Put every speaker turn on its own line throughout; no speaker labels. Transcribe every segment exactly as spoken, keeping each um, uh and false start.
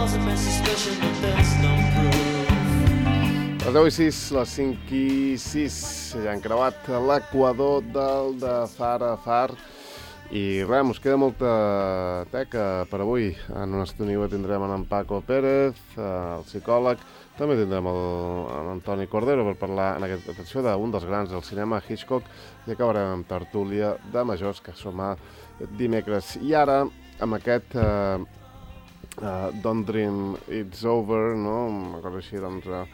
causing my suspicion that there's no proof.
Les deu i sis, les cinc i sis, ja han creuat l'equador del de far a far i res, mos queda molta teca per avui. En una estona tindrem en Paco Pérez, el psicòleg, també tindrem l'Antoni Cordero per parlar en aquesta atenció d'un dels grans del cinema, Hitchcock, i acabarem amb tertúlia de majors, que som a dimecres. I ara, amb aquest uh, uh, Don't Dream It's Over, no? Una cosa així, doncs, uh,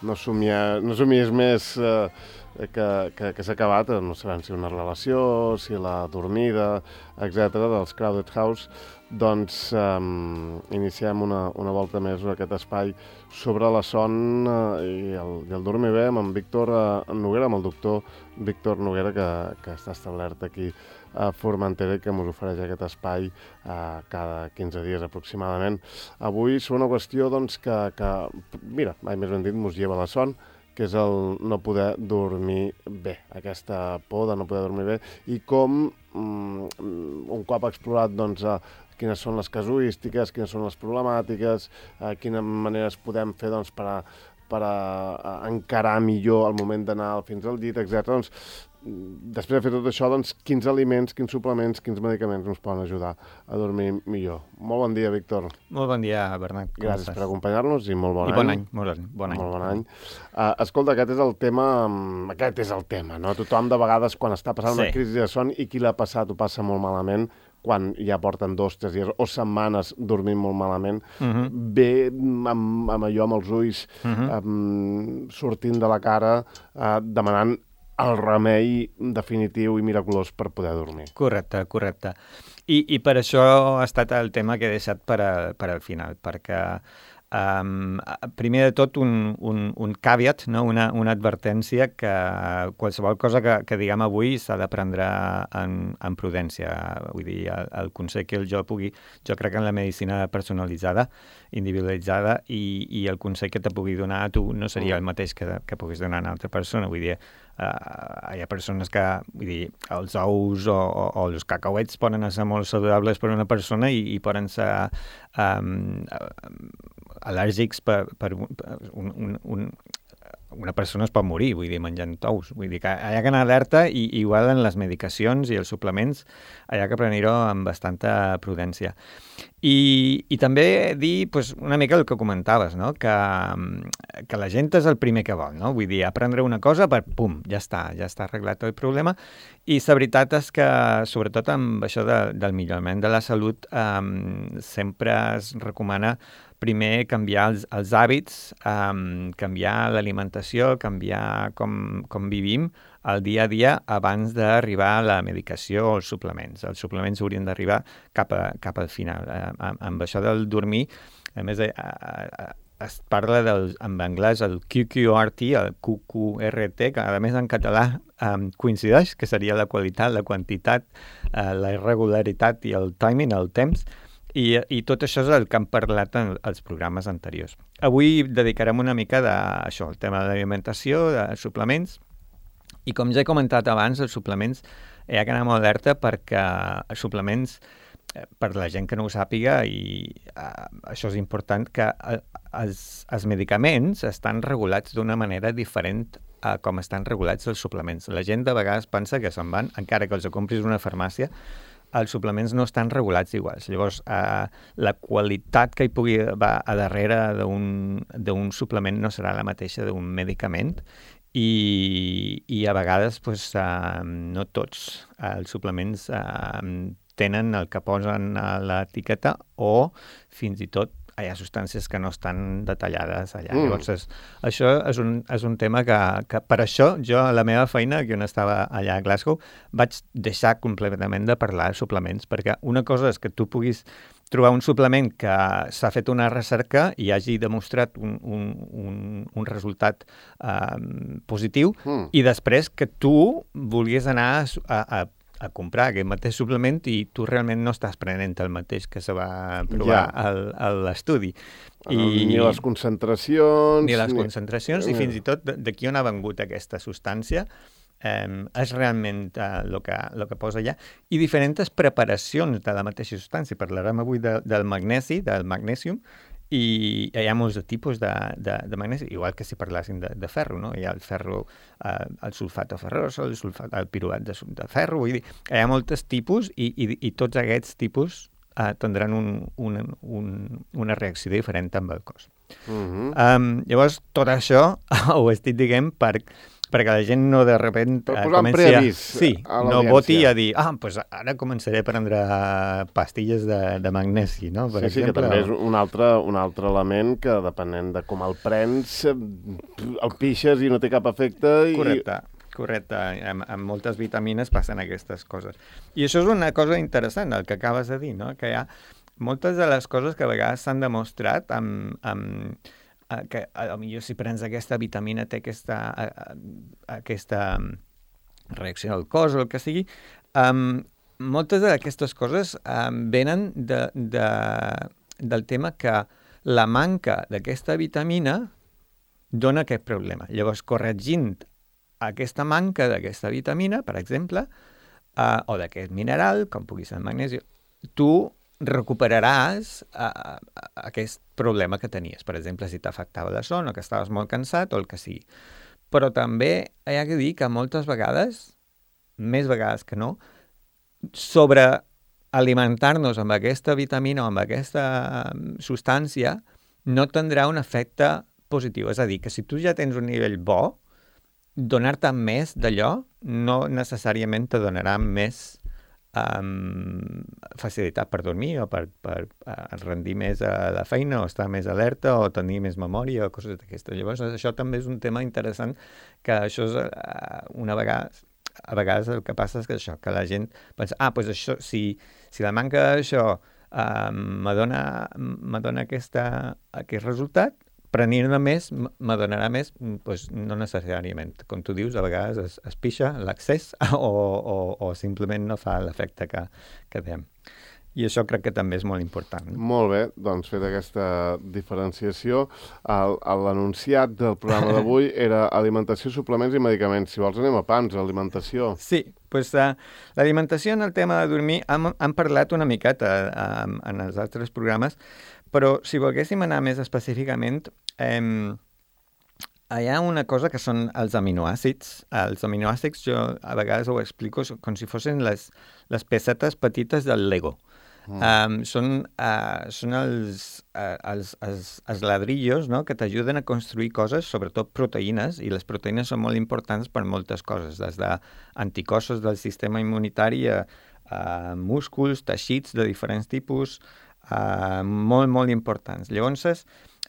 no somiar, no somies més uh, que, que, que s'ha acabat, no sabem si una relació, si la dormida, etcètera, dels Crowded House, doncs um, iniciem una, una volta més a aquest espai sobre la son uh, i, el, i el dormir bé amb en Víctor uh, Noguera, amb el doctor Víctor Noguera, que, que està establert aquí a Formentera i que ens ofereix aquest espai uh, cada quinze dies aproximadament. Avui és una qüestió doncs, que, que, mira, mai més ben dit, ens lleva la son, que és el no poder dormir bé, aquesta por de no poder dormir bé, i com um, un cop explorat doncs, uh, quines són les casuístiques, quines són les problemàtiques, uh, quines maneres podem fer doncs, per, a, per a, a encarar millor el moment d'anar fins al llit, etcètera. Doncs, després de fer tot això, doncs, quins aliments, quins suplements, quins medicaments ens poden ajudar a dormir millor. Molt bon dia, Víctor.
Molt bon dia, Bernat. Com
Gràcies
estàs?
per acompanyar-nos i molt bon
I
any.
bon any. Molt bon, bon any.
Molt bon any. Uh, escolta, aquest és el tema, aquest és el tema, no? Tothom de vegades quan està passant
Sí.
una crisi de son i qui l'ha passat ho passa molt malament, quan ja porten dos, tres dies o setmanes dormint molt malament,
Uh-huh.
ve amb, amb allò, amb els ulls,
Uh-huh.
um, sortint de la cara, uh, demanant el remei definitiu i miraculós per poder dormir.
Correcte, correcte. I, I per això ha estat el tema que he deixat per, a, per al final, perquè um, primer de tot un, un, un caveat, no? una, una advertència que qualsevol cosa que, que diguem avui s'ha de prendre en, en prudència. Vull dir, el, el consell que jo pugui, jo crec en la medicina personalitzada, individualitzada, i, i el consell que te pugui donar a tu no seria el mateix que, que puguis donar a una altra persona. Vull dir, Uh, hi ha persones que, vull dir, els ous o, o, o els cacauets poden ser molt saludables per una persona i, i poden ser um, al·lèrgics per, per un, un, un, una persona es pot morir, vull dir, menjant ous. Vull dir que hi ha que anar alerta i igual en les medicacions i els suplements hi ha que prendre-ho amb bastanta prudència. I, i també dir pues, una mica el que comentaves, no? que, que la gent és el primer que vol, no? Vull dir, aprendre una cosa per, pum, ja està, ja està arreglat el problema. I la veritat és que, sobretot amb això de, del millorament de la salut, um, sempre es recomana primer canviar els, els hàbits, um, canviar l'alimentació, canviar com, com vivim el dia a dia abans d'arribar a la medicació o els suplements. Els suplements haurien d'arribar cap, a, cap al final. Uh, amb, amb això del dormir, a més, uh, uh, es parla del, en anglès el Q Q R T, el Q Q R T, que a més en català um, coincideix, que seria la qualitat, la quantitat, uh, la irregularitat i el timing, el temps. I, I tot això és el que han parlat en els programes anteriors. Avui dedicarem una mica a això, el tema de l'alimentació, de suplements, i com ja he comentat abans, els suplements hi ha que anar molt alerta perquè els suplements, per la gent que no ho sàpiga, i uh, això és important, que uh, els, els medicaments estan regulats d'una manera diferent a com estan regulats els suplements. La gent de vegades pensa que se'n van, encara que els compris a una farmàcia, els suplements no estan regulats iguals. Llavors, eh, la qualitat que hi pugui va a darrere d'un suplement no serà la mateixa d'un medicament i, i a vegades pues, eh, no tots els suplements eh, tenen el que posen a l'etiqueta o fins i tot hi ha substàncies que no estan detallades allà. Mm. Llavors, és, això és un, és un tema que, que per això jo, a la meva feina, que on estava allà a Glasgow, vaig deixar completament de parlar de suplements, perquè una cosa és que tu puguis trobar un suplement que s'ha fet una recerca i hagi demostrat un, un, un, un resultat eh, positiu, mm. i després que tu vulguis anar a, a a comprar aquest mateix suplement i tu realment no estàs prenent el mateix que se va provar ja. al, a l'estudi.
I... Ni les concentracions...
Ni les concentracions, ni... i fins i tot d'aquí on ha vengut aquesta substància, eh, és realment el uh, que, lo que posa allà. I diferents preparacions de la mateixa substància. Parlarem avui de, del magnesi, del magnesium, i hi ha molts de tipus de, de, de magnesi, igual que si parlàssim de, de ferro, no? Hi ha el ferro, eh, el sulfato ferroso, el, sulfat, el piruvat de, de ferro, vull dir, hi ha molts tipus i, i, i tots aquests tipus eh, tindran un, un, un, una reacció diferent amb el cos.
Uh-huh.
Um, llavors, tot això ho estic dient per, perquè la gent no de repente
per
uh,
posar
comenci a, sí,
a
no voti a dir, ah, pues ara començaré a prendre pastilles de, de magnesi, no? Per
sí,
exemple,
sí, que també és un altre, un altre element que, depenent de com el prens, el pixes i no té cap efecte. I...
Correcte. Correcte, amb, amb moltes vitamines passen aquestes coses. I això és una cosa interessant, el que acabes de dir, no? Que hi ha moltes de les coses que a vegades s'han demostrat amb, amb que potser si prens aquesta vitamina té aquesta, aquesta reacció al cos o el que sigui. Um, moltes d'aquestes coses um, venen de, de, del tema que la manca d'aquesta vitamina dona aquest problema. Llavors, corregint aquesta manca d'aquesta vitamina, per exemple, uh, o d'aquest mineral, com pugui ser el magnesi, tu recuperaràs uh, aquest problema que tenies. Per exemple, si t'afectava la son o que estaves molt cansat o el que sigui. Però també hi ha que dir que moltes vegades, més vegades que no, sobre alimentar-nos amb aquesta vitamina o amb aquesta substància no tindrà un efecte positiu. És a dir, que si tu ja tens un nivell bo, donar-te més d'allò no necessàriament te donarà més um, facilitat per dormir o per, per uh, rendir més a la feina o estar més alerta o tenir més memòria o coses d'aquestes. Llavors, això també és un tema interessant que això és uh, una vegada... A vegades el que passa és que això, que la gent pensa, ah, doncs això, si, si la manca d'això uh, me dona, me dona aquesta, aquest resultat, prenir-ne més me donarà més, doncs no necessàriament. Com tu dius, a vegades es, es pixa l'accés o, o, o simplement no fa l'efecte que, que dèiem. I això crec que també és molt important.
Molt bé, doncs fet aquesta diferenciació, l'anunciat del programa d'avui era alimentació, suplements i medicaments. Si vols anem a pams, alimentació.
Sí, doncs uh, l'alimentació en el tema de dormir hem, hem parlat una miqueta uh, en els altres programes, però si volguéssim anar més específicament, eh, hi ha una cosa que són els aminoàcids. Els aminoàcids jo a vegades ho explico com si fossin les, les pecetes petites del Lego. Mm. Um, són uh, són els, uh, els, els, els ladrillos, no?, que t'ajuden a construir coses, sobretot proteïnes, i les proteïnes són molt importants per moltes coses, des d'anticossos del sistema immunitari a, a músculs, teixits de diferents tipus, uh, molt, molt importants. Llavors,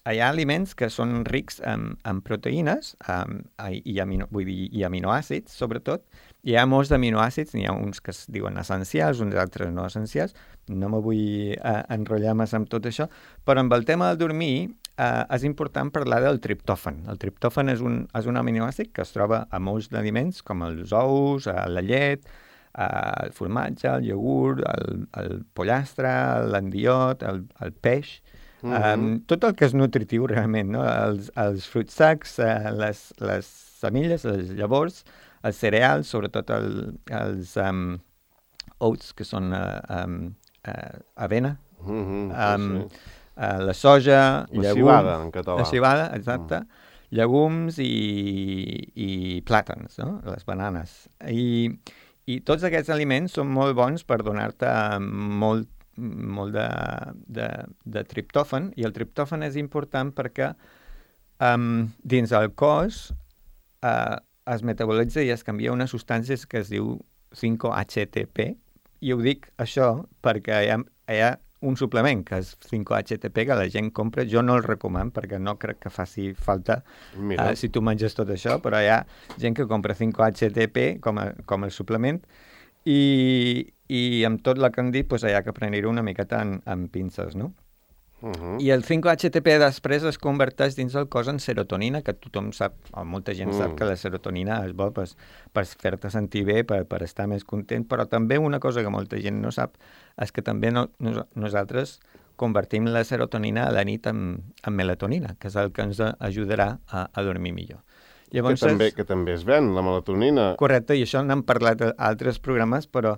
hi ha aliments que són rics en, en proteïnes um, i, amino, vull dir, i aminoàcids, sobretot. Hi ha molts d'aminoàcids, n'hi ha uns que es diuen essencials, uns altres no essencials. No me vull uh, enrotllar massa amb tot això, però amb el tema del dormir uh, és important parlar del triptòfan. El triptòfan és un, és un aminoàcid que es troba a molts d'aliments, com els ous, la llet, uh, el formatge, el iogurt, el, el pollastre, l'endiot, el, el peix... Mm-hmm. Um, tot el que és nutritiu realment, no? Els, els fruits secs, uh, les, les semilles, les llavors, els cereals, sobretot el, els um, oats, que són uh, um, uh, avena,
mm-hmm,
um,
sí.
uh, la soja,
la
llegums,
civada, en català.
La civada, exacte, mm. llegums i, i plàtans, no? Les bananes. I, I tots aquests aliments són molt bons per donar-te molt molt de, de, de triptòfan, i el triptòfan és important perquè um, dins el cos uh, es metabolitza i es canvia una substància que es diu cinc H T P, i ho dic això perquè hi ha, hi ha un suplement que és cinc H T P que la gent compra. Jo no el recomano perquè no crec que faci falta uh, si tu menges tot això, però hi ha gent que compra cinc H T P com a, com a suplement, i, i amb tot el que han dit pues, hi ha que prendre-ho una miqueta en, en pinces, no? Uh-huh. I el cinc H T P després es converteix dins el cos en serotonina, que tothom sap, o molta gent uh. sap que la serotonina és bo per, per fer-te sentir bé, per, per estar més content, però també una cosa que molta gent no sap és que també no, nos, nosaltres convertim la serotonina a la nit en, en melatonina, que és el que ens ajudarà a, a dormir millor. Llavors,
que, també, que també es ven, la melatonina.
Correcte, i això n'hem parlat a altres programes, però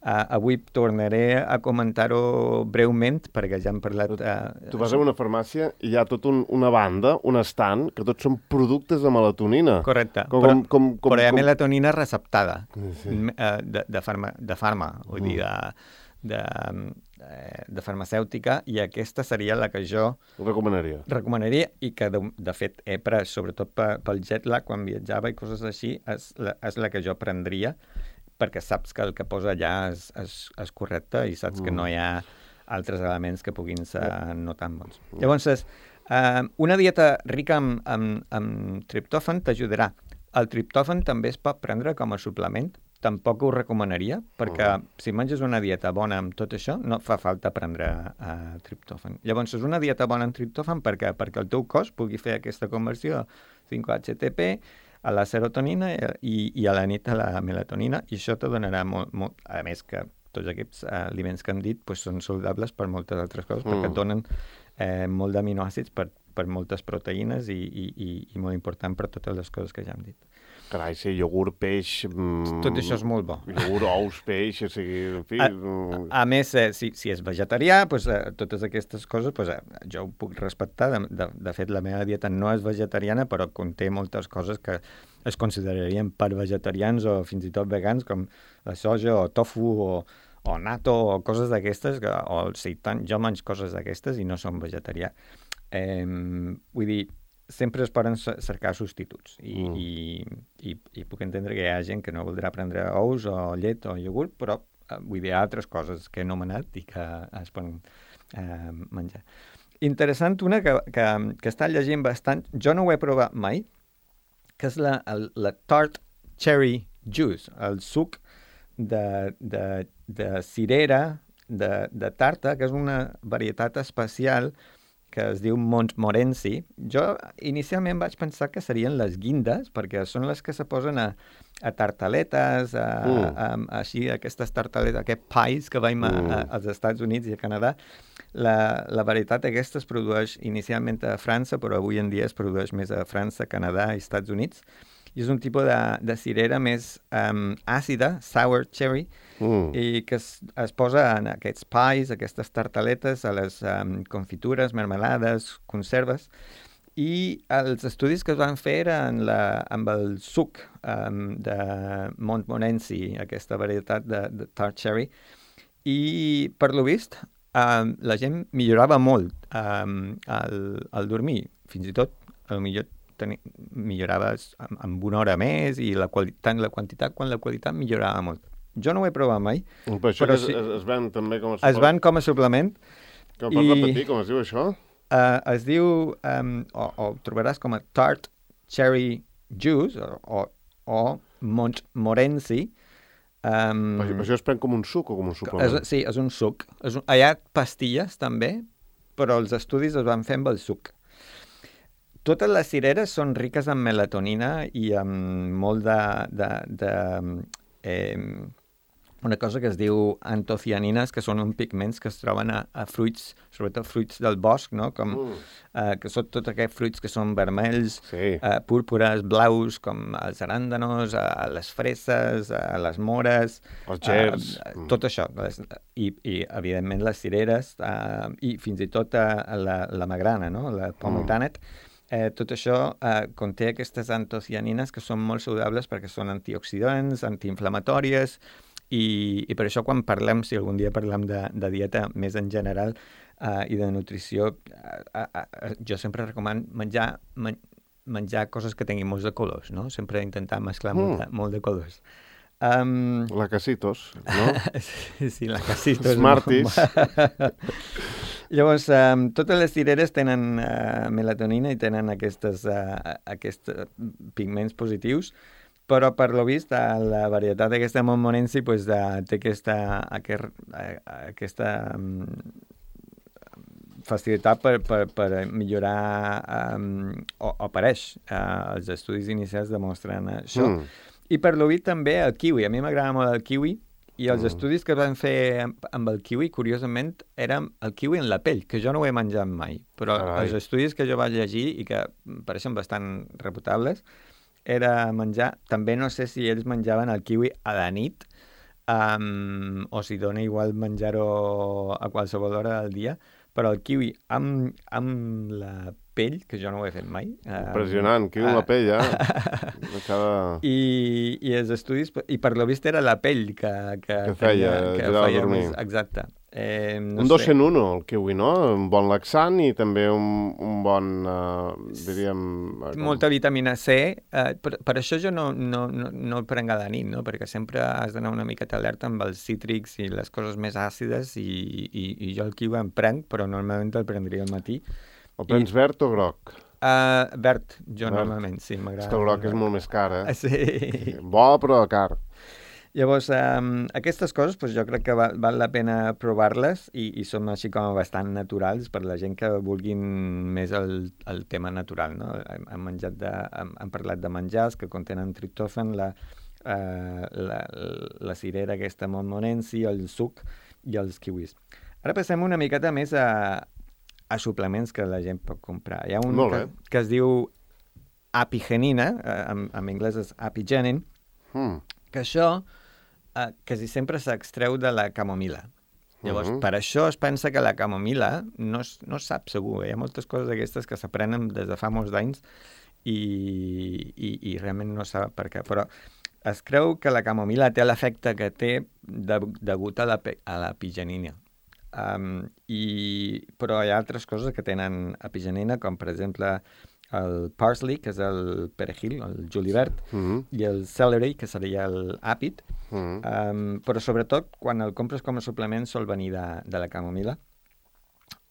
Uh, avui tornaré a comentar-ho breument, perquè ja hem parlat... Uh,
tu vas a una farmàcia i hi ha tota un, una banda, un estand, que tots són productes de melatonina.
Correcte,
com,
però,
com, com, com,
però hi ha
com...
melatonina receptada,
sí.
uh, de, de, farma, de farma, vull mm. dir, de, de, de farmacèutica, i aquesta seria la que jo...
Recomanaria.
Recomanaria, i que, de, de fet, he pres, sobretot pel jet lag, quan viatjava i coses així, és la, és la que jo prendria, perquè saps que el que posa allà és, és, és correcte i saps mm. que no hi ha altres elements que puguin ser no tan bons. Mm. Llavors, eh, una dieta rica en, en, en triptòfan t'ajudarà. El triptòfan també es pot prendre com a suplement. Tampoc ho recomanaria, perquè mm. si menges una dieta bona amb tot això, no fa falta prendre uh, triptòfan. Llavors, és una dieta bona en triptòfan perquè, perquè el teu cos pugui fer aquesta conversió cinc H T P a la serotonina i, i a la nit a la melatonina, i això te donarà molt, molt... A més que tots aquests uh, aliments que hem dit pues, són saludables per moltes altres coses, mm. perquè et donen eh, molt d'aminoàcids per, per moltes proteïnes i, i, i, i molt important per totes les coses que ja hem dit.
Carai, sí, iogurt, peix... Mm,
Tot això és molt bo.
Iogurt, ous, peix, o sigui, en fi...
A, a, a més, eh, si, si és vegetarià, pues, eh, totes aquestes coses pues, eh, jo ho puc respectar. De, de, de fet, la meva dieta no és vegetariana, però conté moltes coses que es considerarien per vegetarians o fins i tot vegans, com la soja o tofu o, o natto o coses d'aquestes, o el seitan. Jo menjo coses d'aquestes i no som vegetarià. Eh, vull dir... sempre es poden cercar substituts i, mm. i, i, i puc entendre que hi ha gent que no voldrà prendre ous o llet o iogurt, però eh, vull dir altres coses que he anomenat i que es poden eh, menjar. Interessant una que, que, que està llegint bastant, jo no ho he provat mai, que és la, el, la tart cherry juice, el suc de, de, de cirera, de, de tarta, que és una varietat especial que es diu Montmorency. Jo inicialment vaig pensar que serien les guindes, perquè són les que se posen a, a tartaletes, a, mm. a, a, així, aquestes tartaletes, aquests pies que veiem mm. a, a, als Estats Units i a Canadà. La, la varietat aquesta es produeix inicialment a França, però avui en dia es produeix més a França, Canadà i Estats Units. I és un tipus de, de cirera més um, àcida, sour cherry, mm. i que es, es posa en aquests pies, aquestes tartaletes, a les um, confitures, mermelades, conserves, i els estudis que es van fer eren la, amb el suc um, de Montmorency, aquesta varietat de, de tart cherry, i per lo vist um, la gent millorava molt um, al, al dormir, fins i tot, a lo millor Teni, milloraves amb, amb una hora més i la qualitat, la quantitat quan la qualitat millorava molt. Jo no ho he provat mai.
Però això però es, sí, es ven també com a suplement?
Es ven com a suplement.
Com pots repetir, com es diu això?
Uh, es diu, um, o, o trobaràs com a tart cherry juice, o, o Montmorency. Um,
però això es pren com un suc o com un suplement?
És, sí, és un suc. És un, hi ha pastilles també, però els estudis es van fer amb el suc. Totes les cireres són riques en melatonina i amb molt de... de, de eh, una cosa que es diu antocianines, que són uns pigments que es troben a, a fruits, sobretot fruits del bosc, no? Com, mm. eh, que són tots aquests fruits que són vermells, sí. eh, púrpures, blaus, com els aràndanos, eh, les freses, eh, les mores...
Els gers.
Eh, tot això. Les, i, I, evidentment, les cireres eh, i fins i tot eh, la, la magrana, no? La pomegranate. Mm. Eh, tot això eh, conté aquestes antocianines que són molt saludables perquè són antioxidants, antiinflamatòries, i, i per això quan parlem, si algun dia parlem de, de dieta més en general eh, i de nutrició, eh, eh, jo sempre recomano menjar, men, menjar coses que tinguin molts de colors, no? Sempre intentar mesclar mm. molt, de, molt de colors. Um...
La Casitos, no?
sí, sí, la Casitos.
Smarties.
Llavors, um, totes les cireres tenen uh, melatonina i tenen aquestes, uh, aquests pigments positius, però per lo vist la varietat d'aquesta Montmorency pues, uh, té aquesta, aquest, uh, aquesta um, facilitat per, per, per millorar, um, o, o apareix, uh, els estudis inicials demostren això. Mm. I per lo vist també el kiwi. A mi m'agrada molt el kiwi, i els mm. estudis que van fer amb, amb el kiwi, curiosament, eren el kiwi en la pell, que jo no ho he menjat mai. Però Carai. Els estudis que jo vaig llegir i que pareixen bastant reputables, era menjar... També no sé si ells menjaven el kiwi a la nit, um, o si dona igual menjar-ho a qualsevol hora del dia, però el kiwi amb, amb la pell, que jo no ho he fet mai.
Impressionant, kiwi amb la pell, eh? Cada...
I, I els estudis, i per lo vist era la pell que, que,
que feia,
tenia, que
ajudava a
feia
dormir.
més, exacte. Eh, no
un dos
sé.
en uno, el kiwi, no? Un bon laxant i també un, un bon, uh, diríem... Uh, com...
Molta vitamina C. Eh, per, per això jo no, no, no, no el prenc a la nit, no? Perquè sempre has d'anar una miqueta alerta amb els cítrics i les coses més àcides i, i, i jo el kiwi en prenc, però normalment el prendria al matí.
El prens I... verd o groc?
Uh, verd, jo
verd.
Normalment, sí, m'agrada.
És que el groc és molt més car, eh?
Sí.
Bo, però car.
Llavors, um, aquestes coses pues, jo crec que val, val la pena provar-les i, i són així com bastant naturals per la gent que vulguin més el, el tema natural, no? Hem, hem, menjat de, hem, hem parlat de menjars que contenen triptòfan, la, uh, la, la cirera aquesta montmorency, el suc i els kiwis. Ara passem una miqueta més a, a suplements que la gent pot comprar. Hi ha un que, que es diu apigenina, en, en anglès és apigenin,
mm.
que això eh, quasi sempre s'extreu de la camomila. Llavors, uh-huh. per això es pensa que la camomila no es, no es sap segur. Eh? Hi ha moltes coses d'aquestes que s'aprenen des de fa molts d'anys i, i, i realment no sap per què. Però es creu que la camomila té l'efecte que té de, degut a la, a l'apigenina. Um, i, però hi ha altres coses que tenen apigenina, com per exemple el parsley, que és el perejil, el julivert,
mm-hmm.
i el celery, que seria l'àpid,
mm-hmm.
um, però sobretot quan el compres com a suplement sol venir de, de la camomila.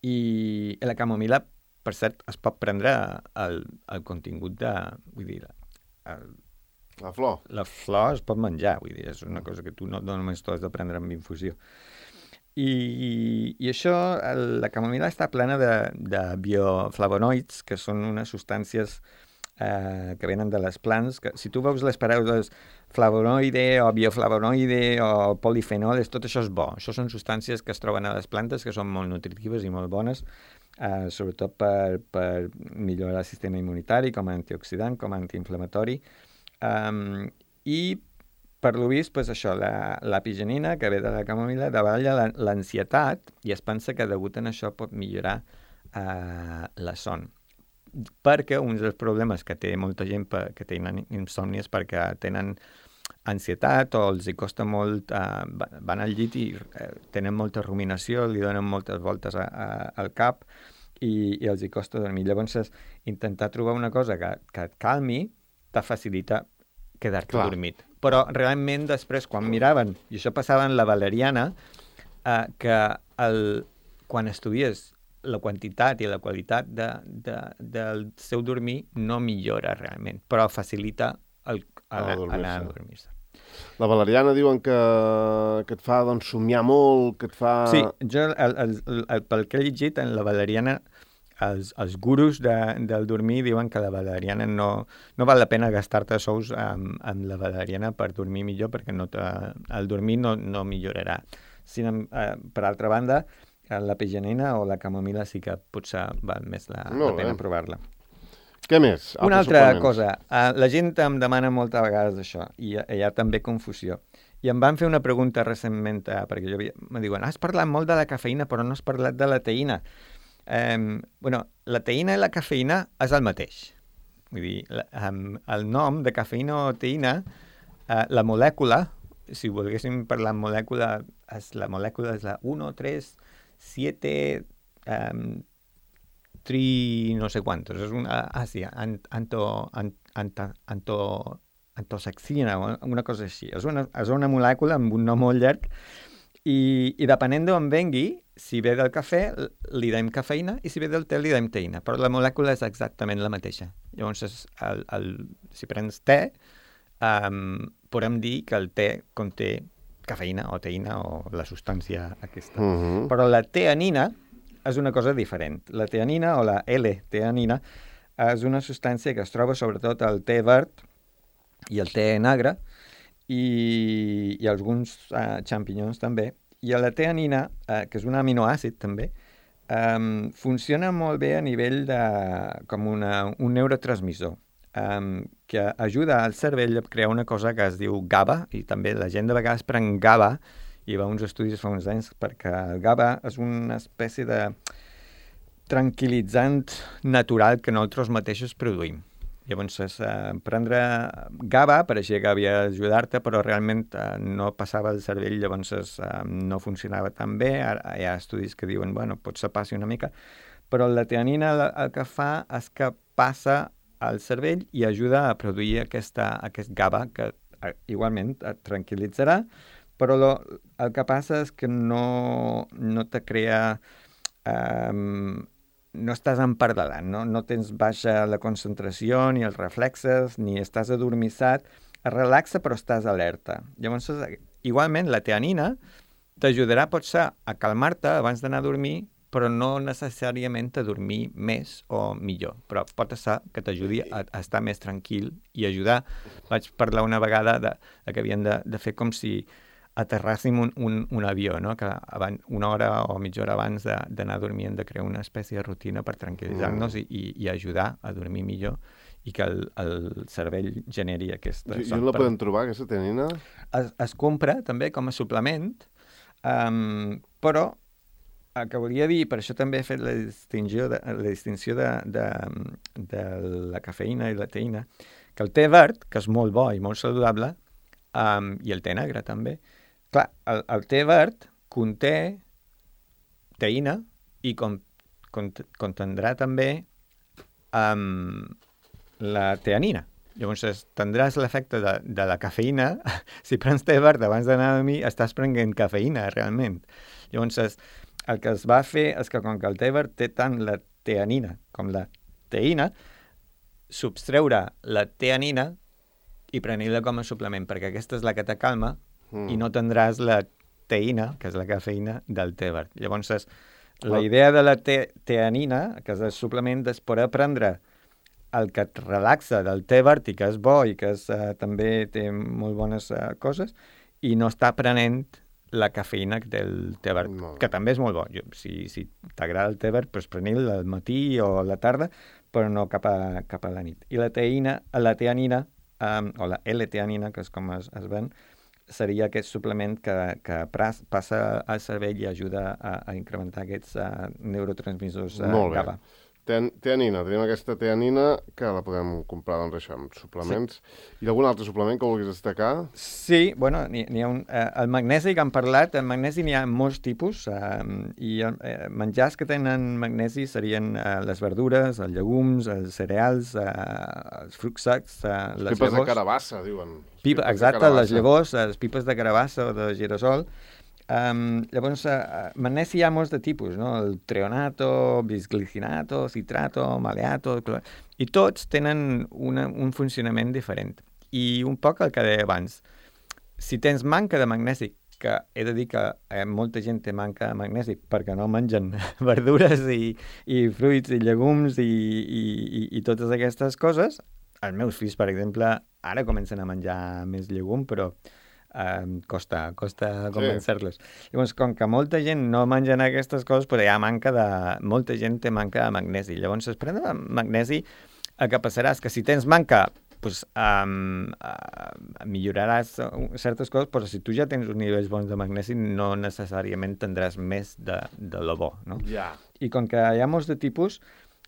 I la camomila, per cert, es pot prendre el, el contingut de... Vull dir, el,
la flor.
La flor es pot menjar, vull dir, és una cosa que tu no, no només t'ho has de prendre amb infusió. I, i això, el, la camomila està plena de, de bioflavonoids, que són unes substàncies eh, que venen de les plants, que si tu veus les paraules flavonoide o bioflavonoide o polifenols, tot això és bo. Això són substàncies que es troben a les plantes, que són molt nutritives i molt bones, eh, sobretot per, per millorar el sistema immunitari, com a antioxidant, com a antiinflamatori. Um, I per lo vist, pues això, la, l'apigenina, que ve de la camomila, davalla l'ansietat i es pensa que degut a això pot millorar eh, la son. Perquè un dels problemes que té molta gent per, que tenen insòmnies perquè tenen ansietat o els hi costa molt, eh, van al llit i eh, tenen molta ruminació, li donen moltes voltes a, a, al cap i, i els hi costa dormir. Llavors, intentar trobar una cosa que, que et calmi te facilita quedar-te
Clar.
dormit. Però realment després, quan miraven, i això passava en la valeriana, eh, que el, quan estudies la quantitat i la qualitat de, de, del seu dormir no millora realment, però facilita el, el,
a dormir-se.
anar a dormir-se.
La valeriana diuen que, que et fa doncs, somiar molt, que et fa...
Sí, jo, el, el, el, el, pel que he llegit, en la valeriana, els, els gurus de, del dormir diuen que la valeriana no, no val la pena gastar-te sous amb, amb la valeriana per dormir millor, perquè no el dormir no, no millorarà. Si, eh, per altra banda, l'apigenina o la camomila sí que potser val més la, la pena provar-la.
Què més?
Una altra cosa. Uh, la gent em demana moltes vegades això i hi ha també confusió. I em van fer una pregunta recentment, uh, perquè jo havia, me diuen, has parlat molt de la cafeïna però no has parlat de la teïna. Um, bueno, la teïna i la cafeïna és el mateix. Vull dir, la, um, el nom de cafeïna o teïna, uh, la molècula, si volguéssim parlar en molècula, és, la molècula és la u, tres, set, um, tri, no sé quantos. És una, ah, sí, anto, anto, anto, antosaxina, una cosa així. És una, és una molècula amb un nom molt llarg i, i depenent d'on vengui, si ve del cafè, li dèiem cafeïna i si ve del te, li dèiem teïna. Però la molècula és exactament la mateixa. Llavors, el, el, si prens te, um, podem dir que el te conté cafeïna o teïna o la substància aquesta.
Uh-huh.
Però la teanina és una cosa diferent. La teanina o la L-teanina és una substància que es troba sobretot al te verd i el te negre i, i alguns uh, xampinyons també. I la teanina, uh, que és un aminoàcid també, um, funciona molt bé a nivell de com una, un neurotransmissor. um, que ajuda al cervell a crear una cosa que es diu GABA, i també la gent de vegades pren GABA, i va uns estudis fa uns anys, perquè el GABA és una espècie de tranquil·litzant natural que nosaltres mateixos produïm. Llavors, eh, prendre GABA pareixia que havia d'ajudar-te, però realment eh, no passava el cervell, llavors eh, no funcionava tan bé. Ara hi ha estudis que diuen, bueno, potser passi una mica, però la teanina el que fa és que passa al cervell i ajuda a produir aquesta, aquest GABA, que eh, igualment et tranquil·litzarà, però lo, el que passa és que no, no te crea... Eh, no estàs empardalant, no? No tens baixa la concentració, ni els reflexes, ni estàs adormissat. Es relaxa, però estàs alerta. Llavors, igualment, la teanina t'ajudarà, potser, a calmar-te abans d'anar a dormir, però no necessàriament a dormir més o millor. Però pot ser que t'ajudi a, a estar més tranquil i ajudar. Vaig parlar una vegada de, de que havien de, de fer com si aterràssim un, un, un avió, no? Que abans, una hora o mitja hora abans d'anar a dormir hem de crear una espècie de rutina per tranquil·litzar-nos mm. i, i ajudar a dormir millor i que el, el cervell generi aquesta...
I, i on la podem trobar, aquesta teanina?
Es, es compra també com a suplement, um, però el que volia dir, per això també he fet la distinció de, la distinció de, de, de la cafeïna i la teïna, que el te verd, que és molt bo i molt saludable, um, i el te negre també, clar, el, el te verd conté teïna i con, con, contendrà també um, la teanina. Llavors tindràs l'efecte de, de la cafeïna. Si prens te verd abans d'anar a dormir, estàs prenent cafeïna, realment. Llavors el que es va fer és que com que el te verd té tant la teanina com la teïna, substreure la teanina i prenir-la com a suplement, perquè aquesta és la que te calma mm. i no tindràs la teïna, que és la cafeïna, del te verd. Llavors, la idea de la te teanina, que és el suplement, és poder prendre el que et relaxa del te verd i que és bo i que és, uh, també té molt bones uh, coses, i no està prenent la cafeïna del te verd, no. que també és molt bo. Jo, si si t'agrada el te verd, doncs prenil al matí o a la tarda, però no cap a, cap a la nit. I la teïna, la teanina, Um, o la L-teanina, que és com es, es ven, seria aquest suplement que, que pras, passa al cervell i ajuda a, a incrementar aquests uh, neurotransmissors uh,
Molt bé.
GABA.
Ten, teanina, tenim aquesta teanina que la podem comprar, doncs, això, amb suplements. Sí. I algun altre suplement que vulguis destacar?
Sí, bueno, n'hi ha un... Eh, el magnesi que hem parlat, el magnesi n'hi ha molts tipus, eh, i eh, menjars que tenen magnesi serien eh, les verdures, els llegums, els cereals, eh, els fruits secs, eh, les
pipes
llavors...
de carabassa, diuen.
Pipa, exacte, les llavors, les pipes de carabassa o de girasol. Um, llavors, uh, magnesi hi ha molts de tipus, no? El treonato, bisglicinato, citrato, maleato, i tots tenen una, un funcionament diferent. I un poc el que deia abans, si tens manca de magnesi, que he de dir que eh, molta gent té manca de magnesi perquè no mengen verdures i, i fruits i llegums i, i, i, i totes aquestes coses, els meus fills, per exemple, ara comencen a menjar més llegum, però Um, costa, costa convencer-los. Sí. Llavors, com que molta gent no mengen aquestes coses, però hi ha manca de... Molta gent té manca de magnesi. Llavors, es pren magnesi, el que passarà és que si tens manca, pues, um, uh, milloraràs certes coses, però si tu ja tens uns nivells bons de magnesi, no necessàriament tindràs més de, de lo bo, no?
Ja.
I com que hi ha molts de tipus,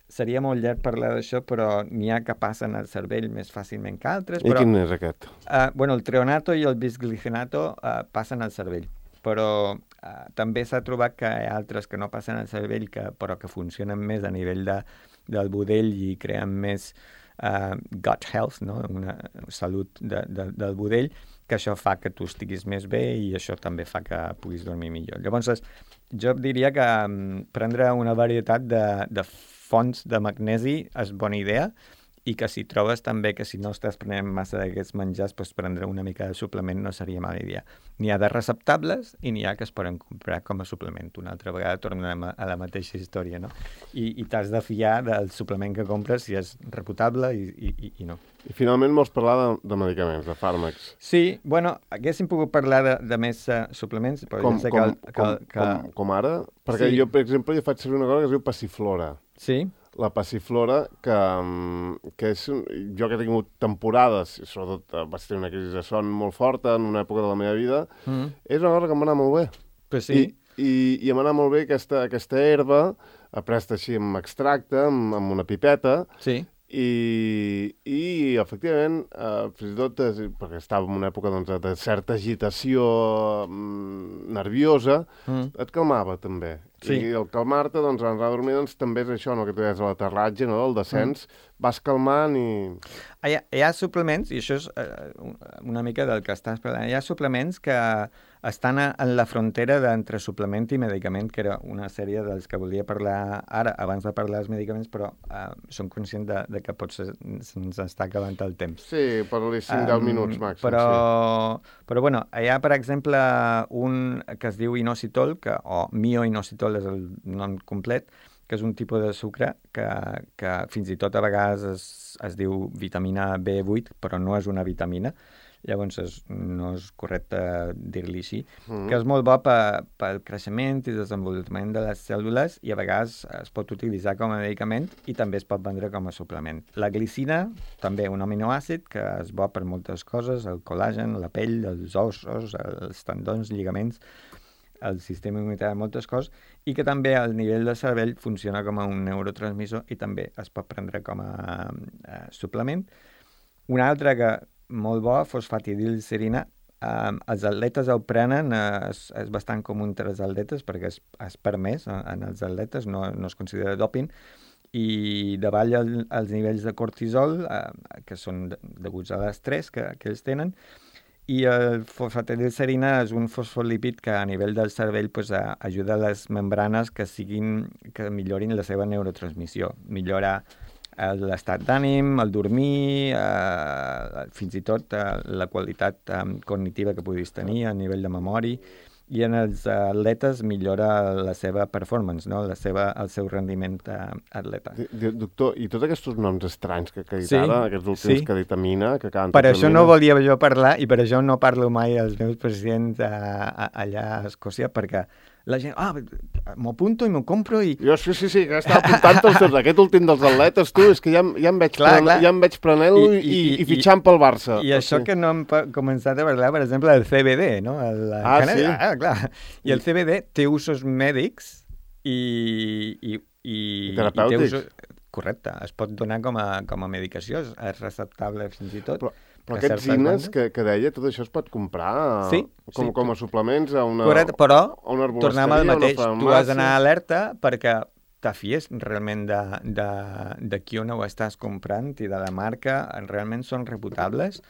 seria molt llarg parlar d'això, però n'hi ha que passen al cervell més fàcilment que altres.
I
però,
quin és aquest?
Uh, bueno, el treonato i el bisglicinato uh, passen al cervell, però uh, també s'ha trobat que hi ha altres que no passen al cervell, que, però que funcionen més a nivell de, del budell i creen més uh, gut health, no? Una salut de, de, del budell, que això fa que tu estiguis més bé i això també fa que puguis dormir millor. Llavors, jo diria que um, prendre una varietat de, de fonts de magnesi és bona idea, i que si trobes també que si no estàs prenent massa d'aquests menjars, doncs prendre una mica de suplement no seria mala idea. N'hi ha de receptables i n'hi ha que es poden comprar com a suplement. Una altra vegada tornem a la mateixa història, no? I, i t'has de fiar del suplement que compres si és reputable i, i, i no.
I finalment vols parlar de, de medicaments, de fàrmacs.
Sí, bueno, haguéssim pogut parlar de, de més uh, suplements, però
com,
ja sé
com,
que...
com,
que...
Com, com ara? Perquè
sí.
jo, per exemple, jo faig servir una cosa que es diu passiflora.
Sí?
la passiflora, que, que és, jo que he tingut temporades, sobretot vaig tenir una crisi de son molt forta en una època de la meva vida, mm. és una cosa que m'ha anat molt bé.
Pues sí.
I, i, i m'ha anat molt bé aquesta, aquesta herba, apresta així amb extracte, amb, amb una pipeta,
sí.
I, i efectivament, eh, fins i tot, eh, perquè estava en una època doncs, de certa agitació mm, nerviosa, mm. et calmava també. Sí. I el calmar-te, doncs, en anar a dormir, doncs, també és això, no?, que tu deies a l'aterratge, no?, el descens, mm. vas calmant i...
Hi ha, hi ha suplements, i això és eh, una mica del que estàs parlant, hi ha suplements que estan a, en la frontera d'entre suplement i medicament, que era una sèrie dels que volia parlar ara, abans de parlar dels medicaments, però eh, som conscient de, de que potser se'ns està acabant el temps.
Sí, parli cinc deu um, minuts màxim.
Però,
sí.
però bueno, hi ha, per exemple, un que es diu inositol, que, o mioinositol és el nom complet, que és un tipus de sucre que, que fins i tot a vegades es, es diu vitamina B vuit, però no és una vitamina. Llavors és, no és correcte dir-li així, mm. que és molt bo pel creixement i desenvolupament de les cèl·lules i a vegades es pot utilitzar com a medicament i també es pot vendre com a suplement. La glicina, també un aminoàcid que és bo per moltes coses, el col·làgen, la pell, els ossos, els tendons, lligaments, el sistema immunitari, moltes coses, i que també al nivell del cervell funciona com a un neurotransmissor i també es pot prendre com a uh, suplement. Un altre que molt bo, fosfatidilcerina. Um, els atletes el prenen, uh, és, és bastant comú entre els atletes perquè és, és permès en, en els atletes, no, no es considera doping, i davalla el, els nivells de cortisol, uh, que són de, deguts a l'estrès que, que ells tenen, i el fosfatidilcerina és un fosfolípid que a nivell del cervell pues, a, ajuda a les membranes que, siguin, que millorin la seva neurotransmissió, millora l'estat d'ànim, el dormir, eh, fins i tot eh, la qualitat eh, cognitiva que puguis tenir a nivell de memòria, i en els atletes millora la seva performance, no? la seva, el seu rendiment eh, atleta.
Doctor, i tots aquests noms estranys que, que he dit sí, ara, aquests últims sí. que vitamina, que acaben...
Per això no volia jo parlar, i per això no parlo mai als meus presidents a, a, allà a Escòcia, perquè la gent, ah, m'ho apunto i m'ho compro i...
Jo sí, sí, sí, que estava apuntant els teus, aquest últim dels atletes, tu, és que ja, ja em veig, clar, pren, ja em veig prenent-lo i, i, i, i fitxant pel Barça.
I això sí. que no hem començat a parlar, per exemple, del C B D, no? El,
ah, sí?
Ah, clar. I el C B D té usos mèdics i... i, i,
I terapèutics.
I té usos... Correcte, es pot donar com a, com a medicació, és receptable fins i tot.
Però, però aquests zines que, que deia, tot això es pot comprar
sí,
com,
sí.
com a suplements a una,
Correcte, però
a una
tornem al mateix, tu has d'anar alerta perquè te fies realment de, de, de qui on ho estàs comprant i de la marca, realment són reputables.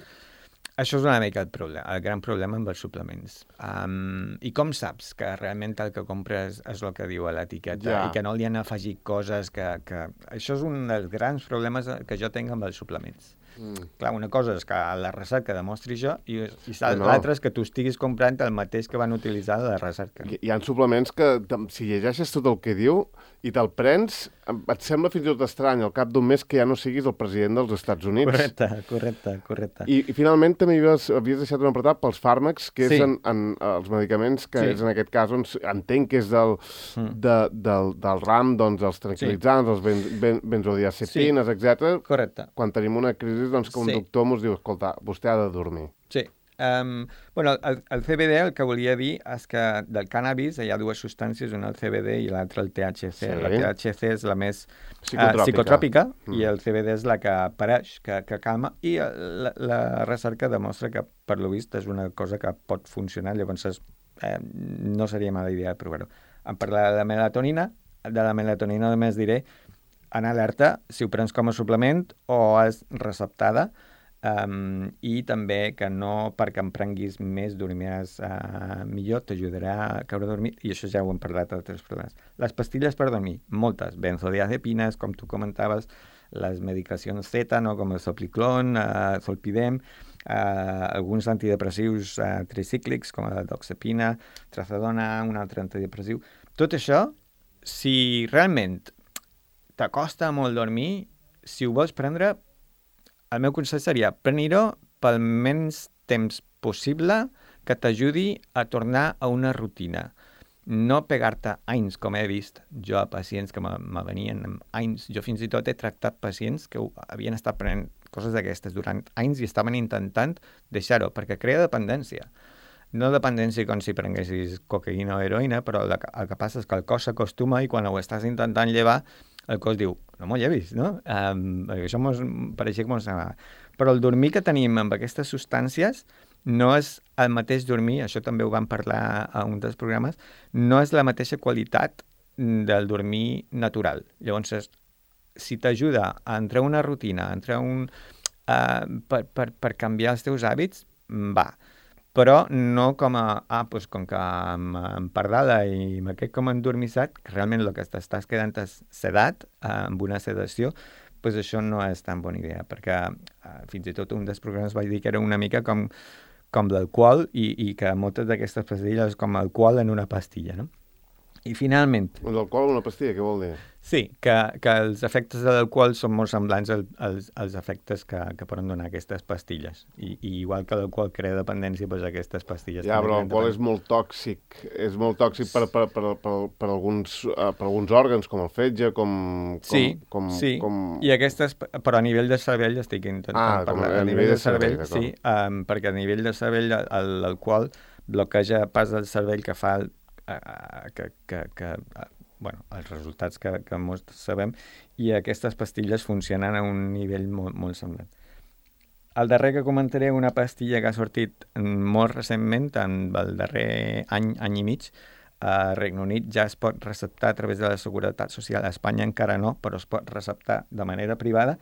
Això és una mica el problema, el gran problema amb els suplements. Um, I com saps que realment el que compres és el que diu a l'etiqueta ja. i que no li han afegit coses que, que... Això és un dels grans problemes que jo tinc amb els suplements. Mm. Clar, una cosa és que la recerca demostri això i, i no. l'altra és que tu estiguis comprant el mateix que van utilitzar a la recerca.
Hi, hi ha suplements que, si llegeixes tot el que diu i te'l prens, et sembla fins i tot estrany al cap d'un mes que ja no siguis el president dels Estats Units.
Correcte, correcte, correcte.
I, i finalment també havies, havies deixat un apartat pels fàrmacs, que sí. és en, en els medicaments, que sí. és en aquest cas on entenc que és del, mm. de, del, del ram, doncs, els tranquil·litzants, sí. els ben, ben, benzodiazepines, sí. etcètera.
Correcte.
Quan tenim una crisi, doncs, que un sí. doctor ens diu, escolta, vostè ha de dormir.
Sí. Um, bueno, el, el C B D el que volia dir és que del cànnabis hi ha dues substàncies, una el C B D i l'altra el T H C. Sí. La T H C és la més psicotròpica, uh, psicotròpica mm. i el C B D és la que apareix, que, que calma, i la, la recerca demostra que, per lo vist, és una cosa que pot funcionar, llavors és, eh, no seria mala idea de provar-ho. En parlar de la melatonina, de la melatonina només diré, en alerta si ho prens com a suplement o és receptada, Um, i també que no perquè em prenguis més dormiràs uh, millor, t'ajudarà a caure a dormir, i això ja ho hem parlat a altres problemes. Les pastilles per dormir, moltes, benzodiazepines, com tu comentaves, les medicacions Z, no? Com el Sopliclon, uh, Zolpidem, uh, alguns antidepressius uh, tricíclics, com la doxepina, trazodona, un altre antidepressiu. Tot això, si realment t'acosta molt dormir, si ho vols prendre, el meu consell seria prenir-ho pel menys temps possible que t'ajudi a tornar a una rutina. no pegar-te anys, com he vist jo a pacients que me, me venien amb anys. Jo fins i tot he tractat pacients que havien estat prenent coses d'aquestes durant anys i estaven intentant deixar-ho, perquè crea dependència. No dependència com si prenguessis cocaïna o heroïna, però el, el que passa és que el cos s'acostuma i quan ho estàs intentant llevar, el cos diu, no m'ho llevis, no? Um, això mos, pareixia que mos anava. Però el dormir que tenim amb aquestes substàncies no és el mateix dormir, això també ho vam parlar a un dels programes, no és la mateixa qualitat del dormir natural. Llavors, si t'ajuda a entrar una rutina, a entrar un... Uh, per, per, per canviar els teus hàbits, va. Però no com a, ah, doncs com que em, em pardala i me quedo com endormissat, que realment el que t'estàs quedant és sedat, eh, amb una sedació, doncs això no és tan bona idea, perquè eh, fins i tot un dels programes vaig dir que era una mica com, com l'alcohol i, i que moltes d'aquestes pastilles és com alcohol en una pastilla, no? I finalment...
L'alcohol en una pastilla, què vol dir?
Sí, que, que els efectes de l'alcohol són molt semblants als, als, als efectes que, que poden donar aquestes pastilles. I, i igual que l'alcohol crea dependència, doncs aquestes pastilles...
Ja, però l'alcohol és molt tòxic. És molt tòxic per, per, per, per, per, alguns, uh, per alguns òrgans, com el fetge, com... com
sí,
com,
sí.
Com...
I aquestes... Però a nivell de cervell estic intentant
ah,
parlar.
A, a nivell de cervell,
sí, um, perquè a nivell de cervell l'alcohol bloqueja pas del cervell que fa... El, uh, que... que, que uh, bueno, els resultats que, que molts sabem, i aquestes pastilles funcionen a un nivell molt, molt semblant. El darrer que comentaré, una pastilla que ha sortit molt recentment, en el darrer any, any i mig, a Regne Unit ja es pot receptar a través de la Seguretat Social, a Espanya encara no, però es pot receptar de manera privada,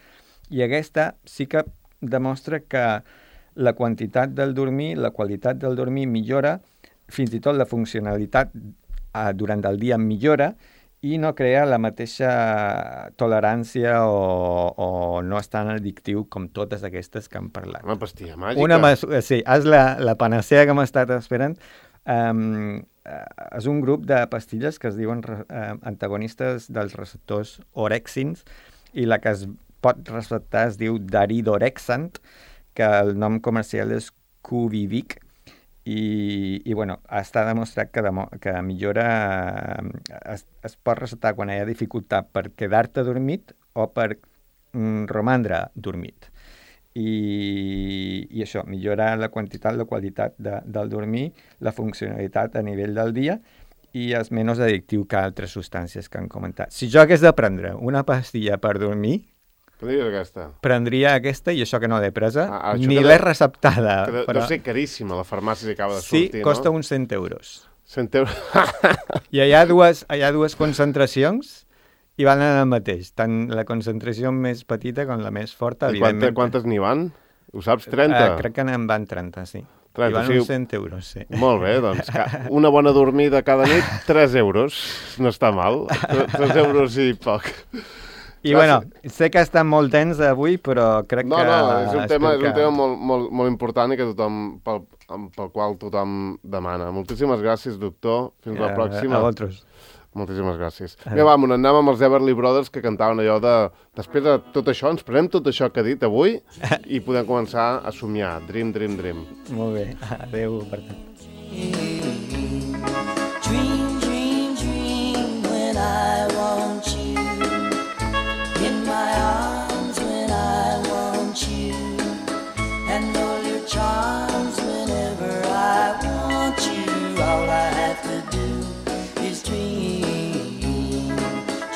i aquesta sí que demostra que la quantitat del dormir, la qualitat del dormir millora, fins i tot la funcionalitat durant el dia millora i no crea la mateixa tolerància o, o no és tan addictiu com totes aquestes que hem parlat.
Una pastilla màgica.
Una mesura, sí, és la, la panacea que m'ha estat esperant. Um, és un grup de pastilles que es diuen uh, antagonistes dels receptors orexins i la que es pot receptar es diu daridorexant, que el nom comercial és Quviviq. I, i bueno, està demostrat que, demo, que millora, es, es pot receptar quan hi ha dificultat per quedar-te dormit o per mm, romandre dormit. I, i això, millora la quantitat, la qualitat de, del dormir, la funcionalitat a nivell del dia i és menys addictiu que altres substàncies que han comentat. Si jo hagués de prendre una pastilla per dormir,
prendria aquesta.
Prendria aquesta i això que no l'he presa,
ah,
ni l'he receptada.
Que de,
però...
deu ser caríssima, la farmàcia si acaba de
sí,
sortir, no?
Sí, costa uns cent euros.
cent euros.
I hi ha, dues, hi ha dues concentracions i van el mateix, tant la concentració més petita com la més forta.
I quanta, quantes n'hi van? Ho saps, trenta?
Uh, crec que n'en van trenta, sí.
trenta,
I van
sí.
uns cent euros, sí.
Molt bé, doncs una bona dormida cada nit, tres euros. No està mal. tres euros i poc.
I bueno, sé que està molt tens avui, però crec
no,
que...
No, no, és un tema,
que...
és un tema molt, molt, molt important i que tothom, pel, pel qual tothom demana. Moltíssimes gràcies, doctor. Fins la pròxima.
A vosaltres.
Moltíssimes gràcies. Vinga, va, anem amb els Everly Brothers que cantaven allò de... Després de tot això, ens prenem tot això que ha dit avui i podem començar a somiar. Dream, dream, dream.
Molt bé. Adéu, per tant.
Dream, dream, dream when I want you. In my arms when I want you, and all your charms whenever I want you. All I have to do is dream,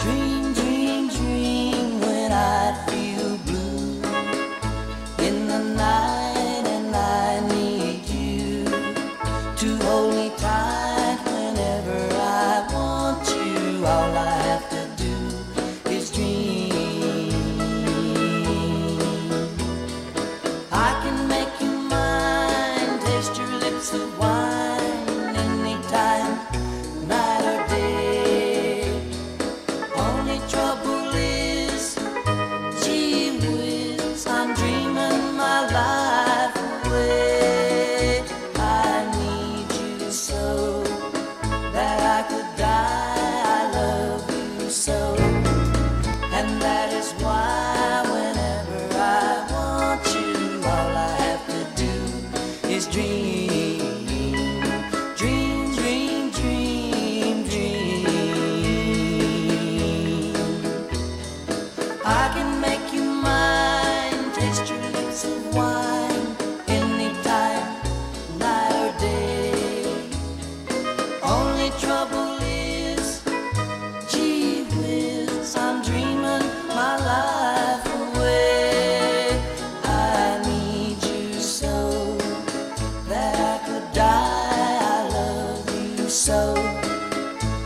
dream, dream, dream when I feel blue in the night and I need you to hold me tight whenever I want you. All I have to do is dream. I can make you mine, taste your lips of wine anytime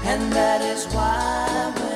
And that is why when